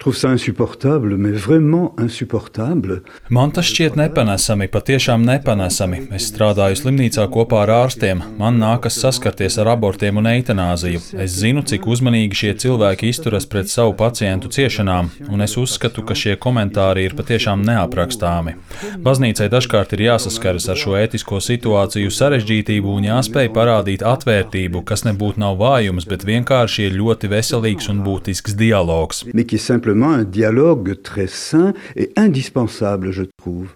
trouve ça insupportable, mais vraiment insupportable. Man tas šķiet nepanesami, patiešām nepanesami. Es strādāju slimnīcā kopā ar ārstiem. Man nākas saskarties ar abortiem un eitanāziju. Es zinu, cik uzmanīgi šie cilvēki izturas pret savu pacientu ciešanām, un es uzskatu, ka šie komentāri ir patiešām neaprakstāmi. Baznīcai dažkārt ir jāsaskaras ar šo ētisko situāciju sarežģītību un jāspēj parādīt atvērtību, kas nebūtu nav vājums, bet vienkārši ir ļoti veselīgs un būtisks dialogs. Mais qui est simplement un dialogue très sain et indispensable, je trouve.